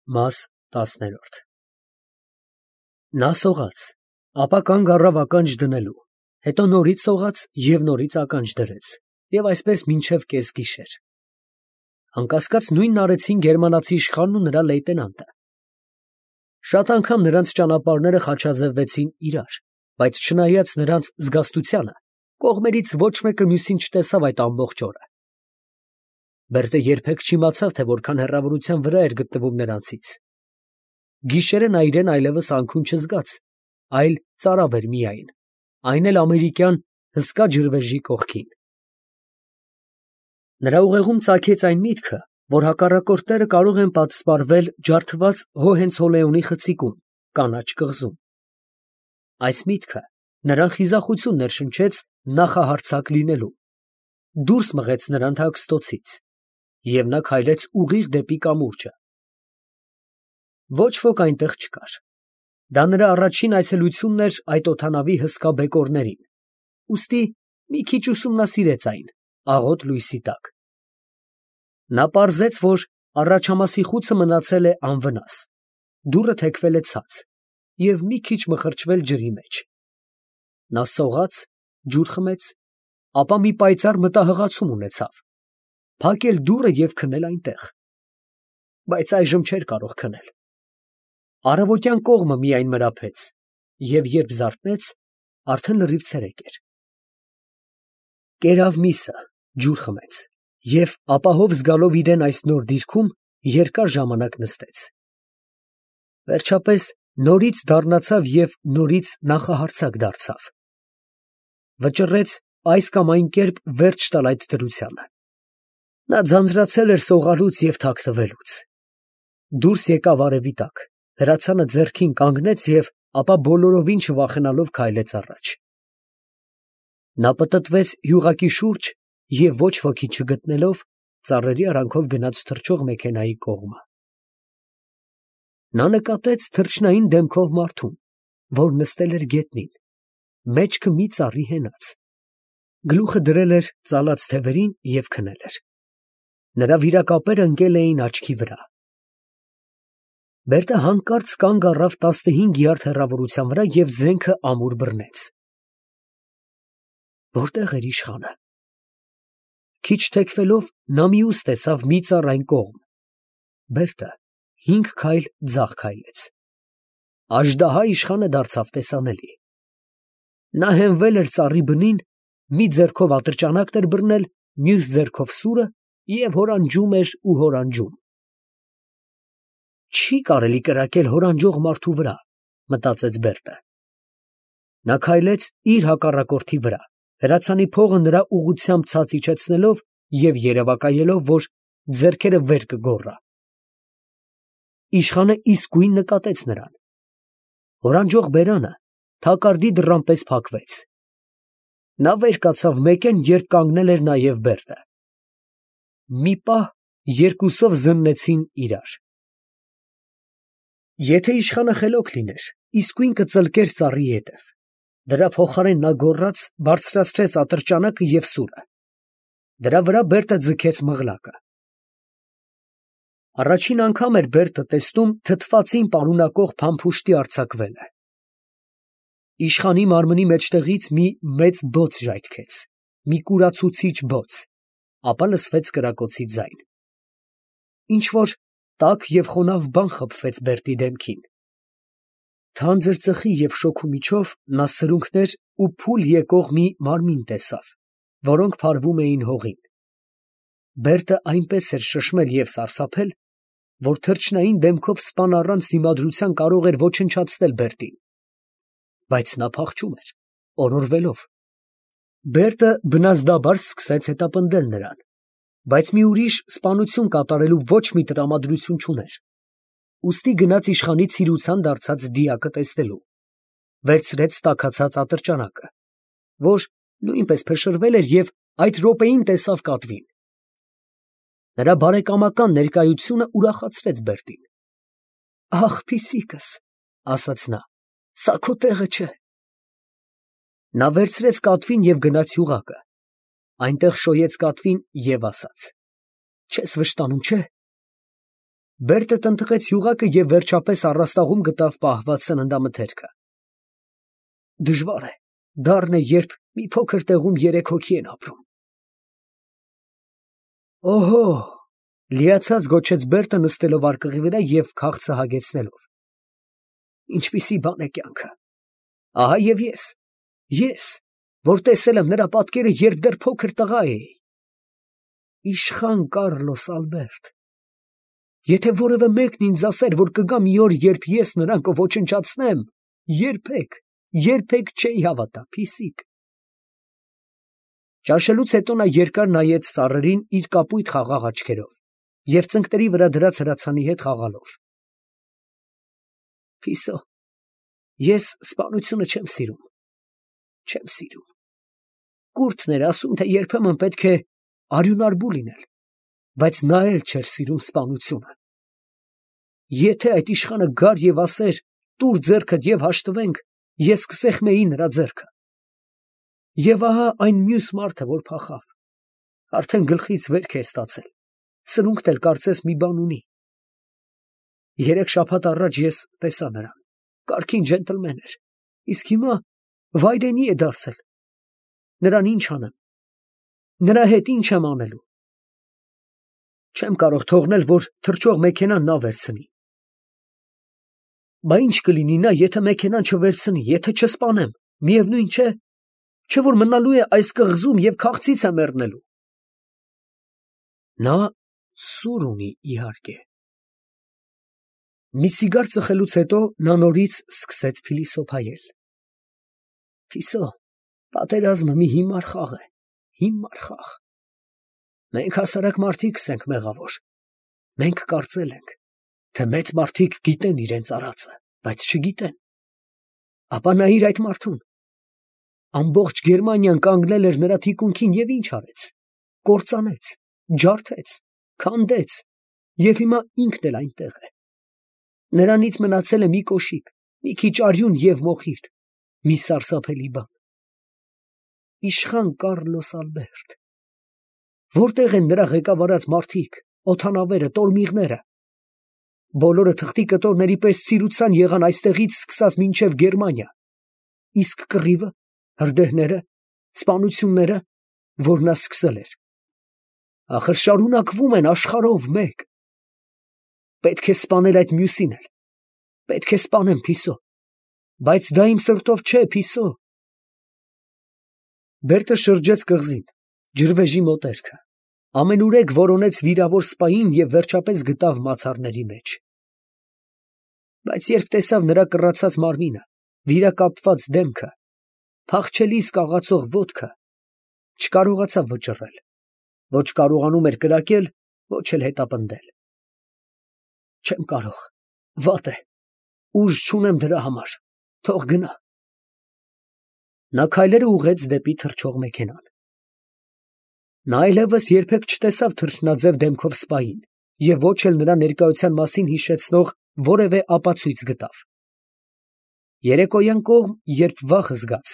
Մաս 10 Նա սողաց, ապա կանգ առավ ականջ դնելու, հետո նորից սողաց և նորից ականջ դրեց, և այսպես մինչև կեսգիշեր. անկասկած նույնն արեցին գերմանացի իշխանն ու նրա լեյտենանտը. շատ անգամ նրանց ճանապարհները խաչաձևվեցին իրար, բայց չնայած նրանց զգաստությանը, կողմերից ոչ մեկը մյուսին չտեսավ այդ ամբողջ օրը. Բերտը երբեք չիմացավ, թե որքան հեռավորության վրա էր գտնվում նրանցից. գիշերը նա իրեն այլևս անքուն չզգաց, այլ ծարավ էր միայն, այն էլ ամերիկյան հսկա ջրվեժի կողքին. նրա ուղեղում ծագեց այն միտքը, որ հակառակորդները կարող են պատսպարվել ջարդված Հոհենցոլեոնի խցիկում, կանաչ կղզում. այս միտքը նրան խիզախություն ներշնչեց նախահարձակ լինելու, դուրս մղեց նրան թաքստոցից, և նա քայլեց ուղիղ դեպի կամուրջը. ոչ ոք այնտեղ չկար. դա նրա առաջին այցելությունն էր այդ օդանավի հսկա բեկորներին, ուստի մի քիչ ուսումնասիրեց այն, աղոտ լույսի տակ. նա պարզեց, որ առաջամասի խուցը մնացել է անվնաս, դուռը թեքվել է ցած և մի քիչ մխրճվել ջրի մեջ. նա սողաց, ջուր խմեց, ապա մի պայծառ մտահղացում ունեցավ, փակել դուռը և քնել այնտեղ, բայց այժմ չէր կարող քնել. առավոտյան կողմը միայն մրափեց, և երբ զարթնեց, արդեն լրիվ ցերեկ էր. կերավ միսը, ջուր խմեց և ապահով զգալով իրեն այս նոր դիրքում, երկար ժամանակ նստեց. վերջապես նորից դառնացավ և նորից նախահարձակ դարձավ. վճռեց այս կամ այն կերպ վերջ տալ այդ դրությանը. նա ձանձրացել էր սողալուց և թաքնվելուց. դուրս եկավ արևի տակ, հրացանը ձեռքին կանգնեց և ապա բոլորովին չվախենալով քայլեց առաջ. նա պտտվեց յուղակի շուրջ և ոչ ոքի չգտնելով, ծառերի արանքով գնաց թռչող մեքենայի կողմը. նա նկատեց թռչնային դեմքով մարդուն, որ նստել էր գետնին, մեջքը մի ծառի հենած, գլուխը դրել էր ծալած թևերին և քնել էր. նրա վիրակապերը ընկել էին աչքի վրա. Բերտը հանկարծ կանգ առավ 15 յարդ հեռավորության վրա և զենքը ամուր բռնեց. որտե՞ղ էր իշխանը։ Քիչ թեքվելով նա մյուս տեսավ մի ծառ այն կողմ. Բերտը 5 քայլ ձախ քայլեց. Աժդահա իշխանը դարձավ տեսանելի. նա հենվել էր ծառի բնին, մի ձեռքով ատրճանակն էր բռնել, մյուս ձեռքով սուրը և հորանջում էր ու հորանջում. Չի կարելի կրակել հորանջող մարդու վրա, մտածեց Բերտը. նա քայլեց իր հակառակորդի վրա, հրացանի փողը նրա ուղղությամբ ցած իջեցնելով և երևակայելով, որ ձեռքերը վեր կգոռա. Իշխանը իսկույն նկատեց նրան. հորանջող բերանը թակարդի դռան պես փակվեց. նա վեր կացավ մեկեն, երբ կանգնել էր նաև Բերտը. մի պահ երկուսով զննեցին իրար. եթե իշխանը խելոք լիներ, իսկույն կծլկեր ծառի ետև, դրա փոխարեն նա գոռաց, բարձրացրեց ատրճանակը և սուրը. դրա վրա Բերտը ձգեց մղլակը. առաջին անգամ էր Բերտը տեսնում թթվածին պարունակող փամփուշտի արձակվելը. իշխանի մարմնի մեջտեղից մի մեծ բոց ժայթքեց, մի կուրացուցիչ բոց, ապա լսվեց կրակոցի ձայն. ինչ֊որ տաք և խոնավ բան խփվեց Բերտի դեմքին. թանձր ծխի և շոգու միջով նա սրունքներ ու փուլ եկող մի մարմին տեսավ, որոնք փարվում էին հողին. Բերտը այնպես էր շշմել և սարսափել, որ թռչնային դեմքով սպան առանց դիմադրության կարող էր ոչնչացնել Բերտին. բայց նա փախչում էր, օրորվելով. Բերտը բնազդաբար սկսեց հետապնդել նրան, բայց մի ուրիշ սպանություն կատարելու ոչ մի տրամադրություն չուներ, ուստի գնաց իշխանի ցիրուցան դարձած դիակը տեսնելու, վերցրեց տաքացած ատրճանակը, որ նույնպես փշրվել էր և այդ րոպեին տեսավ կատվին. նրա բարեկամական ներկայությունը ուրախացրեց Բերտին. «Ախ, փիսիկս», ասաց նա, «սա քո տեղը չէ»։ Նա վերցրեց կատվին և գնաց յուղակը, այնտեղ շոյեց կատվին և ասաց. «Չես վշտանում, չէ՞։ Բերտը տնտղեց յուղակը և վերջապես առաստաղում գտավ պահված սննդամթերքը։ Դժվար է, դառն է, երբ մի փոքր տեղում երեք հոգի են ապրում։ Օհո, լիացած գոչեց Բերտը նստելով արկղի վրա և քաղցը հագեցնելով։ Ինչպիսի բան է կյանքը։ Ահա և ես, որ տեսել եմ նրա պատկերը, երբ դեռ փոքր տղա էի։ Իշխան Կառլոս Ալբերտ, եթե որևէ մեկն ինձ ասեր, որ կգա մի օր, երբ ես նրան կոչնչացնեմ, երբեք չէի հավատա, փիսիկ։ Ճաշելուց հետո նա երկար նայեց ծառերին իր կապույտ խաղաղ աչքերով և ծնկների վրա դրած հրացանի հետ խաղալով։ Փիսո, ես սպանությունը չեմ սիրում։ Կուրթն էր ասում, թե երբեմն պետք է արյունարբու լինել, բայց նա էլ չէր սիրում սպանությունը։ Եթե այդ իշխանը գար և ասեր, տուր ձեռքդ և հաշտվենք, ես կսեղմեի նրա ձեռքը։ Եվ ահա այն մյուս մարդը, որ փախավ, արդեն գլխից վերք է ստացել, սրունքն էլ կարծես մի բան ունի։ 3 շաբաթ առաջ ես տեսա նրան, կարգին ջենտլմեն էր, իսկ հիմա վայրենի է դարձել։ Նրան ինչ անեմ, նրա հետ ինչ եմ անելու։ Չեմ կարող թողնել, որ թռչող մեքենան նա վերցնի։ Բա ինչ կլինի նա, եթե մեքենան չվերցնի, եթե չսպանեմ, միևնույն չէ, չէ որ մնալու է այս կղզում և քաղցից է մեռնելու։ Նա սուր ունի, իհարկե։ Մի սիգար ծխելուց հետո նա նորից սկսեց փիլիսոփայել։ Փիսո, պատերազմը մի հիմար խաղ է, հիմար խաղ։ Մենք հասարակ մարդիկս ենք մեղավոր։ Մենք կարծել ենք, թե մեծ մարդիկ գիտեն իրենց արածը, բայց չգիտեն։ Ապա նայիր այդ մարդուն։ Ամբողջ Գերմանիան կանգնել էր նրա թիկունքին և ինչ արեց։ Կործանեց, ջարդեց, քանդեց և հիմա ինքն էլ այնտեղ է։ Նրանից մնացել է մի կոշիկ, մի քիչ արյուն և մոխիր, մի սարսափելի բան։ Իշխան Կառլոս Ալբերտ։ Որտեղ են նրա ղեկավարած մարդիկ, օդանավերը, տորմիղները։ Բոլորը թղթի կտորների պես ցիրուցան եղան այստեղից սկսած մինչև Գերմանիա։ Իսկ կռիվը, հրդեհները, սպանությունները, որ նա սկսել էր, ախր շարունակվում են աշխարհով մեկ։ Պետք է սպանել այդ մյուսին էլ։ Պետք է սպանեմ, Փիսո, բայց դա իմ սրտով չէ, Փիսո։ Բերտը շրջեց կղզին, ջրվեժի մոտերքը, ամենուրեք որոնեց վիրավոր սպային և վերջապես գտավ մացառների մեջ։ Բայց երբ տեսավ նրա կռացած մարմինը, վիրակապված դեմքը, փախչելիս կաղացող ոտքը, չկարողացավ վճռել, ոչ կարողանում էր կրակել, ոչ էլ հետապնդել։ Չեմ կարող, վատ է, ուժ չունեմ դրա համար, թող գնա։ Նա քայլերը ուղղեց դեպի թռչող մեքենան։ Նա այլևս երբեք չտեսավ թռչնաձև դեմքով սպային և ոչ էլ նրա ներկայության մասին հիշեցնող որևէ ապացույց գտավ։ Երեկոյան կողմ, երբ վախ զգաց,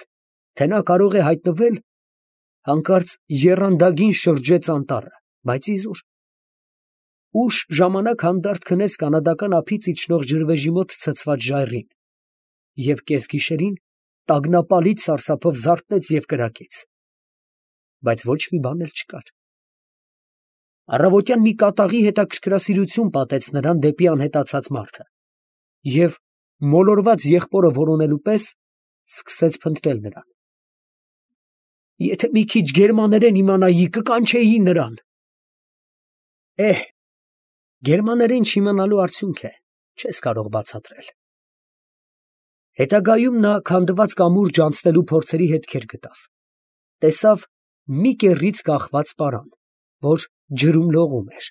թե նա կարող է հայտնվել, հանկարծ եռանդագին շրջեց անտառը, բայց իզուր։ Ուշ ժամանակ հանդարտ քնեց կանադական ափից իջնող ջրվեժի մոտ ցցված ժայռին և կեսգիշերին տագնապալից սարսափով զարթնեց և կրակեց։ Բայց ոչ մի բան էլ չկար։ Առավոտյան մի կատաղի հետաքրքրասիրություն պատեց նրան դեպի անհետացած մարդը և, մոլորված եղբորը որոնելու պես, սկսեց փնտրել նրան։ Եթե մի քիչ գերմաներեն իմանայի, կկանչեի նրան։ Գերմաներեն չիմանալու արդյունք է, չես կարող բացատրել։ Հետագայում նա քանդված կամուրջ անցնելու փորձերի հետքեր գտավ։ Տեսավ մի կեռից կախված պարան, որ ջրում լողում էր։